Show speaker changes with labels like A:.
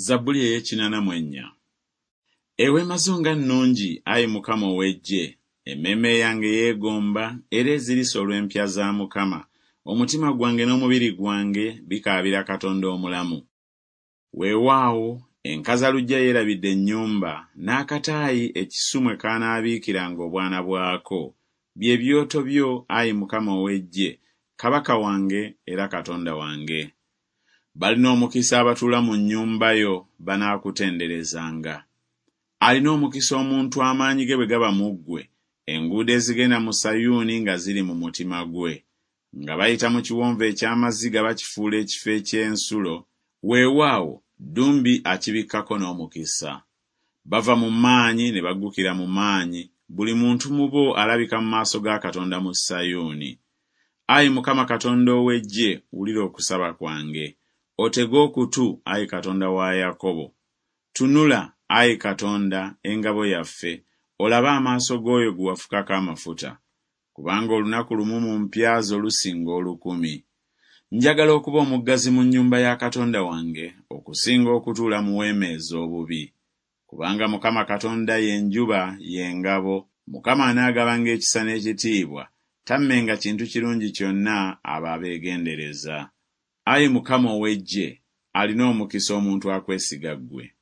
A: Zabbuli ey'ekinana mu ennya. Eweema zo nga nnungi, ayi Mukama ow'eggye! Emmeeme yange yeegomba era ezirise olw'empya za Mukama. Omutima gwange n'omubiri gwange bikaabira Katonda omulamu. Weewaawo, enkazaluggya yeerabidde ennyumba, n'akataayi ekisu mwe kaanaabiikiranga obwana bwako, bye byoto byo, ayi Mukama ow'eggye, Kabaka wange era Katonda wange. Balina omukisa abatuula mu nnyumba yo, banaakutenderezanga. Alina omukisa omuntu amaanyi ge bwe gaba mu ggwe, enguudo ezigenda mu Sayuuni nga ziri mu mutima gwe. Nga bayita mu kiwonvu eky'amaziga bakifuula ekifo eky'ensulo, weewaawo, ddumbi akibikkako n'omukisa. Bava mu maanyi ne baggukira mu maanyi, buli muntu mu bo alabika mu maaso ga Katonda mu Sayuuni. Ayi Mukama Katonda ow'Eggye, wulira okusaba kwange. Otege okutu, ayi Katonda wa Yakobo. Tunula, ayi Katonda, engabo yaffe, olabe amaaso g'oyo gwe wafukako amafuta. Kubanga olunaku lumu mu mpya zo lusinga olukumi. Njagala okuba omuggazi mu nnyumba ya Katonda wange okusinga okutuula mu weema ez'obubi. Kubanga Mukama Katonda ye njuba, ye ngabo, Mukama anaagabanga ekisa n'ekitiibwa, tammenga kintu kirungi kyonna abo abeegendereza. Ayi Mukama ow'Eggye, alina omukisa omuntu akwesiga ggwe.